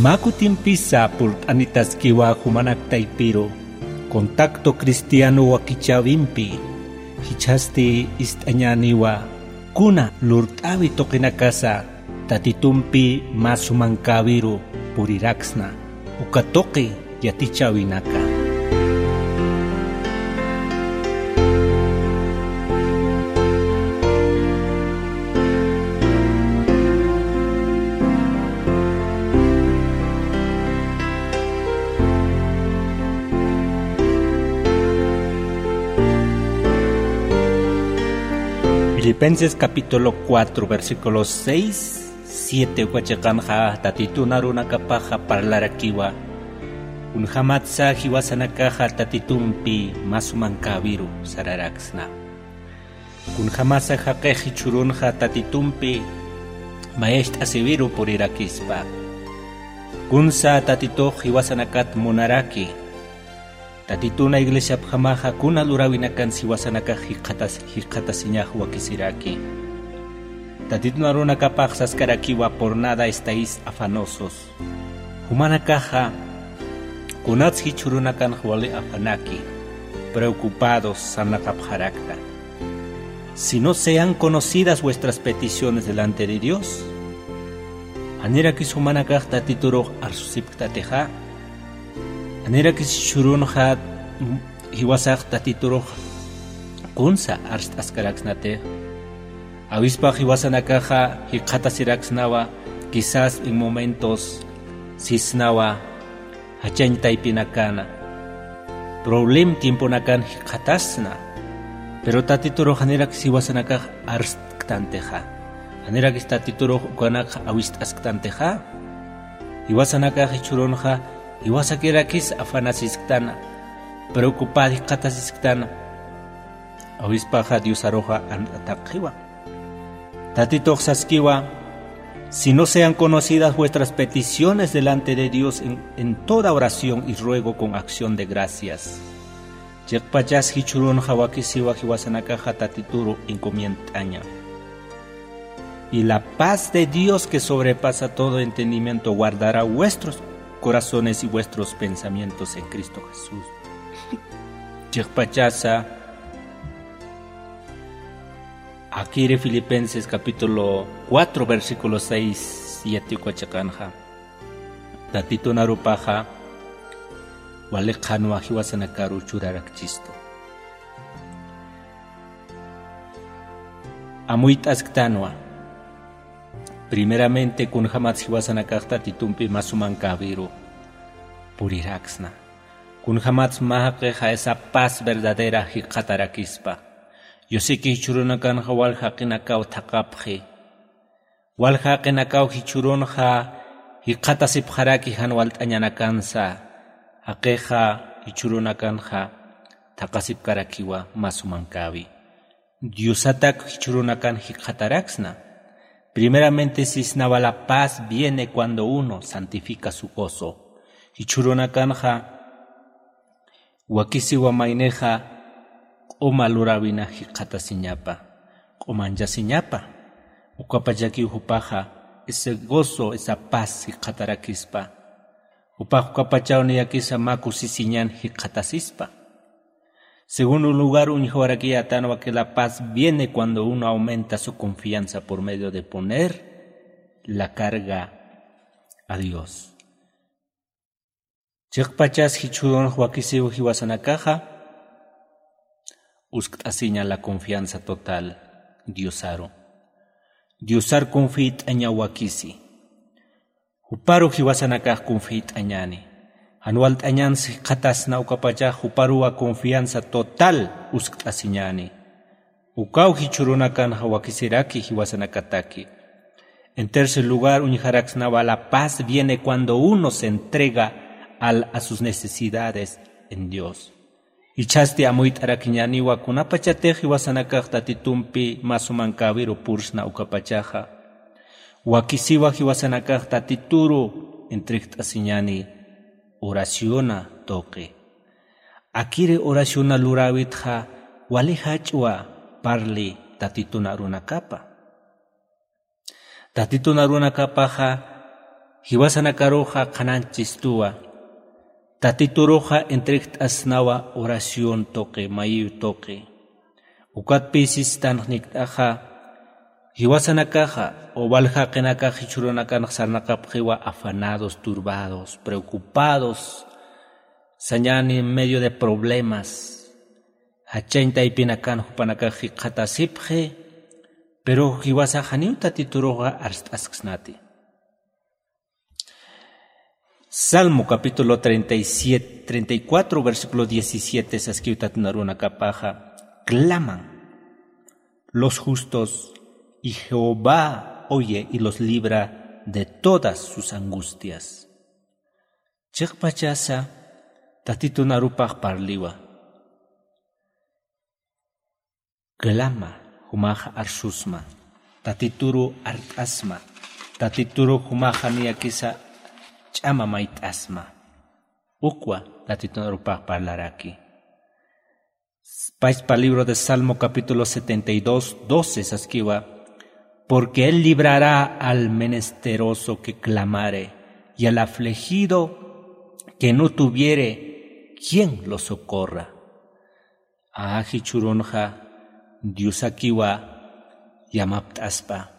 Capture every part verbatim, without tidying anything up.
Mä kutimpisa purt'anitaskiwa jumanak taypiru contacto cristiano wakichäwimpi, jichhasti ist'añäniwa kuna lurt'äwi tuqinakasa Tatitumpi mä sumankäwiru puriraksna, uka tuqi yatichäwinaka. Filipenses capítulo cuatro, versículo seis, siete uka chiqanxa Tatitun arunakapaxa parlarakiwa, kunjamatsa jiwasanakaxa Tatitumpi mä sumankäwiru sararaksna. Kunjamasa jaqix jichhürunxa Tatitumpi mayacht'asiwiru purirakispa. Kunsa Tatitux jiwasanakat munaraki. Tatituna iglesiapjamaxa kuna luräwinakan jiwasanakax jikxatas-, jikxatasiñax wakisiraki. Tatitun arunakapax saskarakiwa: "Por nada estáis afanosos". Jumanakaxa kunats jichhürunakanx wali afanaki, preocupados, sarnaqapxarakta. Si no sean conocidas vuestras peticiones delante de Dios. Janirakis jumanakax Tatiturux arsusipktatixa. Janirakis jichhürunxa jiwasax Tatiturux kunsa arst'askaraksnatix. Awispax jiwasanakaxa jikxatasiraksnawa, quizás en momentos sisnawa, jachañ taypinakana, problem tiemponakan jikxatasna. Pero Tatiturux janirakis jiwasanakax arst'ktantixa. Janirakis Tatiturux ukanakxa awist'asktantixa. Jiwasanakax jichhürunxa jiwasakirakis afanasisktana, preocupad jikxatasisktana. Awispaxa Diosaruxa ant'atapxiwa. Tatitux saskiwa: "Si no sean conocidas vuestras peticiones delante de Dios en, en toda oración y ruego con acción de gracias". Chiqpachas jichhürunxa wakisiwa jiwasanakaxa Tatituru encomiendt'aña. "Y la paz de Dios que sobrepasa todo entendimiento guardará vuestros corazones y vuestros pensamientos en Cristo Jesús". Chiqpachasa akiri Filipenses capítulo cuatro, versículo seis, siete uka chiqanxa Tatitun arupaxa wali qhanwa jiwasanakaru churarakchistu. Amuyt'asktanwa. Primeramente, kunjamats jiwasanakax Tatitumpi mä sumankäwiru puriraksna. Kunjamats mä jaqixa esa paz verdadera jikxatarakispa. Yusiki jichhürunakanxa wal jaqinakaw thaqapxi. Wal jaqinakaw jichhürunxa jikxatasipxaraki jan walt'añanakansa. Jaqixa jichhürunakanxa thaqasipkarakiwa mä sumankäwi. Diosatak jichhürunakan jikxataraksna. Primeramente sisnawa: "La paz viene cuando uno santifica su gozo". Jichhürunakanxa wakisiwa maynixa q'uma luräwina jikxatasiñapa, q'umanchasiñapa. Ukapachakiw jupaxa ese gozo, esa paz jikxatarakispa. Jupax ukapachaw niyakisa mä kusisiñan jikxatasispa. Segundo lugar, uñjawarakiyätanwa que la paz viene cuando uno aumenta su confianza por medio de poner la carga a Dios. Chiqpachas jichhürunx wakisiw jiwasanakaxa uskt'asiña la confianza total Diosaru. Diosar confiyt'aña wakisi. Juparu jiwasanakax confiyt'añäni. Jan walt'añans jikxatasna ukapachax juparuwa confianza total uskt'asiñäni. Ukaw jichhürunakanxa wakisiraki jiwasanakataki. En tercer lugar, uñjaraksnawa: "La paz viene cuando uno se entrega al, a sus necesidades en Dios". Jichhasti amuyt'arakiñäniwa kunapachatix jiwasanakax Tatitumpi mä sumankäwiru pursna ukapachaxa. Wakisiwa jiwasanakax Tatituru entregt'asiñäni oraciona tuqi. Akiri oraciona luräwitxa wali jach'wa parli Tatitun arunakapa. Tatitun arunakapaxa Jiwasanakaruxa qhanañchistuwa. Tatituruxa entregt'asnawa oración tuqi, mayiw tuqi. Ukatpï sistan janikt'axa, jiwasanakaxa o wal jaqinakax jichhürunakanx sarnaqapxiwa afanados, turbados, preocupados, sañäni en medio de problemas. Jachañ taypinakan jupanakax jikxatasipxi, pero jiwasax janiw Tatituruxa arst'asksnati. Salmo capítulo treinta y siete, treinta y cuatro, versículo diecisiete, saskiw Tatitun arunakapaxa: Claman los justos, y Jehová oye y los libra de todas sus angustias. Chiqpachasa Tatitun arupax parliwa. Clama, jumaxa arsusma. Tatituru art'asma. Tatituru jumaxa niyakisa ch'ama mayt'asma. Ukwa Tatitun arupax parlaraki. Pachpa libro de Salmo capítulo setenta y dos, doce saskiwa: Porque él librará al menesteroso que clamare, y al afligido que no tuviere quien lo socorra. A jichhürunxa Diosakiwa yamapt'aspa.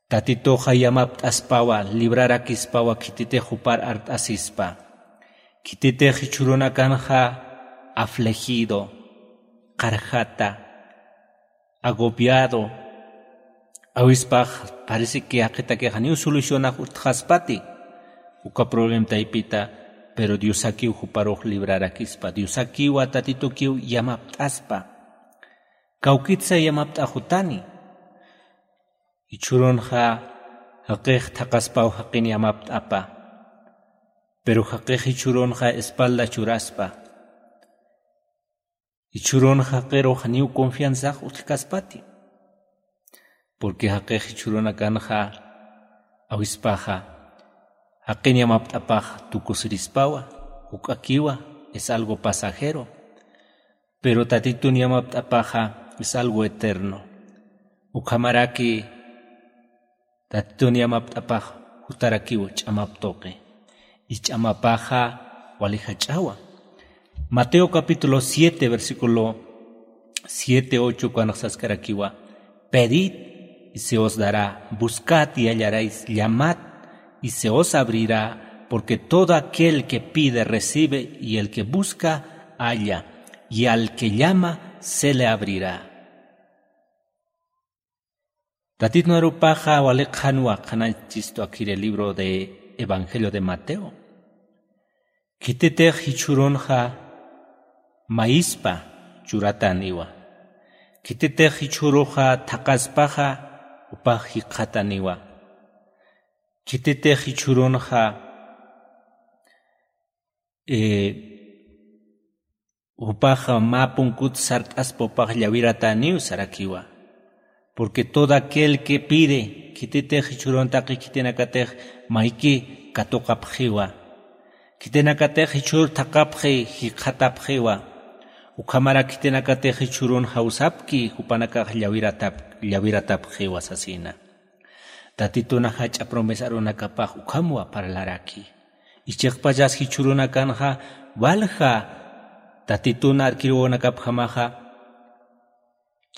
Tatituxa yamapt'aspawa, librarakispawa, khititix jupar art'asispa. Khititix jichhürunakanxa afligido, qarjata, agobiado, awispax parece que jaqitakixa niw solucionax utjaspati uka problema taypita, pero Diosakiw juparux librarakispa. Diosakiwa Tatitukiw yamapt'aspa. Kawkitsa yamapt'axutani. Jichhürunxa jaqix thaqaspaw jaqin yamapt'apa. Pero jaqix jichhürunxa espalda churaspa. Jichhürunxa jaqirux janiw confianzax utjkaspati. Porque jaqix jichhürunakanxa awispaxa jaqin yamapt'apax tukusirispawa, juk'akiwa, es algo pasajero. Pero Tatitun yamapt'apaxa es algo eterno. Ukhamaraki Tatitun yamapt'apax jutarakiw ch'amap tuqi. Y ch'amapaxa wali jach'awa. Mateo capítulo siete, versículo siete, ocho, ukanx saskarakiwa: Pedid y se os dará, buscad y hallaréis, llamad y se os abrirá, porque todo aquel que pide recibe, y el que busca halla, y al que llama se le abrirá. Tatitun arupaxa wali qhanwa qhanañchistu akhiri libro de Evangelio de Mateo. Khititix jichhürunxa mayispa churatäniwa. Khititix jichhüruxa thaqaspaxa jupax jikxatäniwa. Khititix jichhürunxa, eh, jupax mä punkut sart'aspa jupax llawiratäniw sarakiwa. Porque todo aquel que pide, khititix jichhürun taqi khitinakatix mayki katuqapxiwa. Khitinakatix jichhür thaqapxi jikxatapxiwa. Ukhamarak khitinakatix jichhürun jawsapki jupanakax llawiratap-, llawiratapxiwa sasina. Tatitun jach'a promesa arunakapax ukhamwa parlaraki. Chiqpachas jichhürunakanxa walja Tatitun arkiruwanakapjamaxa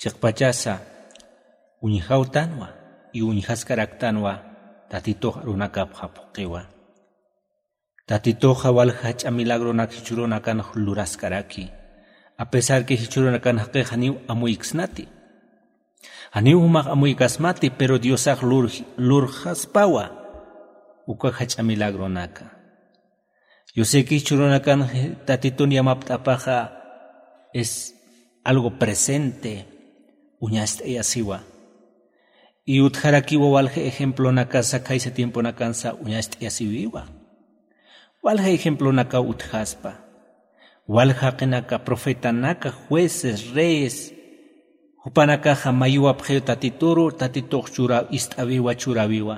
chiqpachasa uñjawtanwa, y uñjaskaraktanwa Tatitux arunakapxa phuqhiwa. Tatituxa walja jach'a milagronak jichhürunakanx luraskaraki. A pesar que jichhürunakan jaqix janiw amuyksnati, janiw jumax amuykasmati, pero Diosax lur-, lurxaspawa uka jach'a milagronaka. Yo sé que jichhürunakan Tatitun yamapt'apaxa es algo presente, uñast'ayasiwa. Y utjarakiwa walja ejemplonakasa khaysa tiemponakansa uñast'ayasiwiwa. Walja ejemplonakaw utjaspa. Walja jaqinaka, profetanaka, jueces, reyes, jupanakaxa mayuwapxiw Tatituru, Tatitux chura-, ist'awiwa, churawiwa.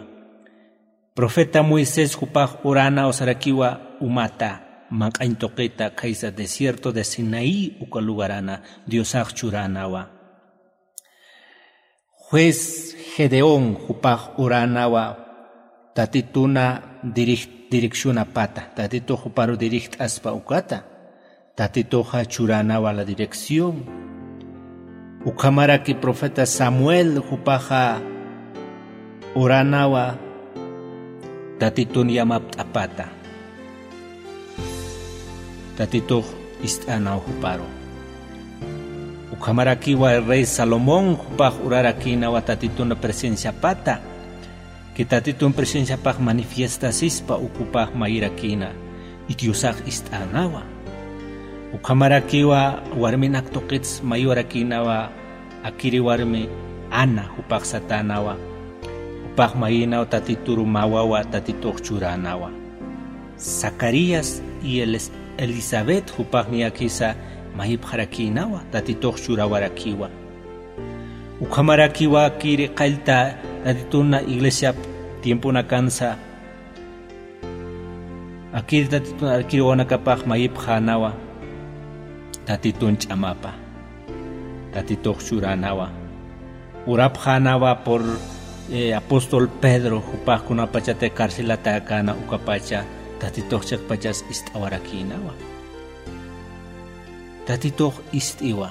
Profeta Moisés jupax uranaw sarakiwa umata, manq'añ tuqita, khaysa desierto de Sinaí uka lugarana Diosax churanawa. Juez Gedeón jupax uranawa Tatituna dirij-, direccionapata, Tatitux juparu dirijt'aspa ukata, Tatituxa churanawa la dirección. Ukhamaraki profeta Samuel jupaxa oranawa Tatitun yamapt'apata. Tatitux ist'anaw juparu. Ukhamarakiwa rey Salomón jupax urarakinawa Tatitun presenciapata. Que Tatitun presenciapax manifiestasispa ukupax mayirakina, y Diosax ist'anawa. Ukhamarakiwa warminak tuqits mayiwarakinawa, akiri warmi Ana jupax satanawa. Jupax mayinaw Tatituru mawawa, Tatitux churanawa. Zacarías y Elis-, Elizabeth jupax niyakisa mayipxarakinawa, Tatitux churawarakiwa. Ukhamarakiwa akiri qallta Tatituna iglesiap tiemponakansa, akiri Tatitun arkiri wawanakapax mayipxänawa, Tatitun ch'amapa, Tatitux churanawa. Urapxänawa por, eh, apóstol Pedro, jupax kunapachatix carcelatäkäna ukapacha, Tatitux chiqpachas ist'awarakinawa. Tatitux ist'iwa.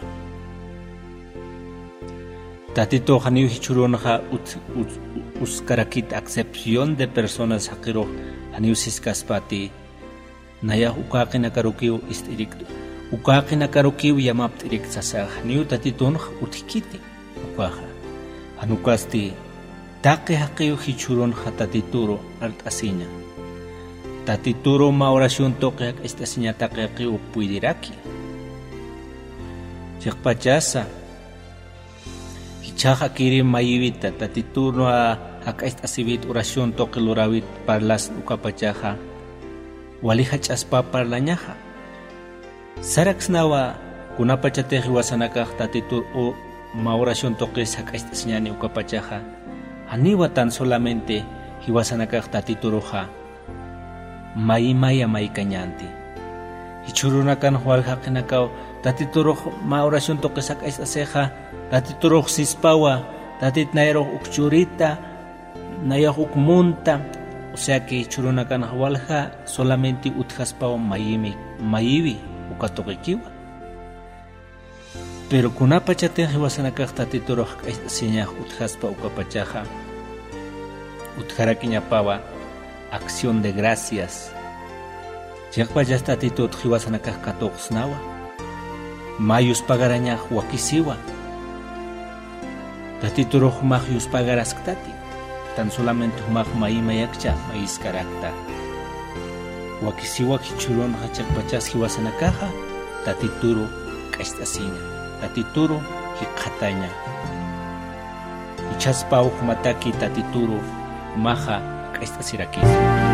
Tatitux janiw jichhürunxa ut-, ut-, uskarakit, acepción de personas jaqirux janiw siskaspati, nayax uka jaqinakarukiw ist'irik, uka jaqinakarukiw yamapt'irik sasax, janiw Tatitunx utjkiti ukaxa. Jan ukasti, taqi jaqiw jichhürunxa Tatituru art'asiña. Tatituru mä oración tuqi jak'acht'asiña taqi jaqiw puydiraki. Chiqpachasa, jichhax akiri mayiwita, Tatituru jak'acht'asiwit oración tuqi luräwit parlasn ukapachaxa, wali jach'aspa parlañaxa. Saraksnawa kunapachatix jiwasanakax Tatitur u mä oración tuqis jak'acht'asiñäni ukapachaxa, janiwa tan solamente jiwasanakax Tatituruxa mayimaya maykañänti. Jichhürunakanx walja jaqinakaw Tatiturux mä oración tuqis jak'acht'asixa, Tatiturux sispawa, Tatit nayarux uk churita, nayax uk munta, o sea que jichhürunakanx walja solamente utjaspaw mayimi, mayiwi uka tuqikiwa. Pero kunapachatix jiwasanakax Tatiturux jak'acht'asiñax utjaspa ukapachaxa, utjarakiñapawa acción de gracias. Chiqpachas Tatitut jiwasanakax katuqsnawa. Mä yuspagarañax wakisiwa. Tatiturux jumax yuspagarasktati. Tan solamente jumax mayimayakcha mayiskarakta. Wakisiwa jichhürunxa chiqpachas jiwasanakaxa Tatituru k'acht'asiña. Tatituru jikxataña. Jichhaspaw jumataki Tatituru jumaxa k'acht'asirakisa.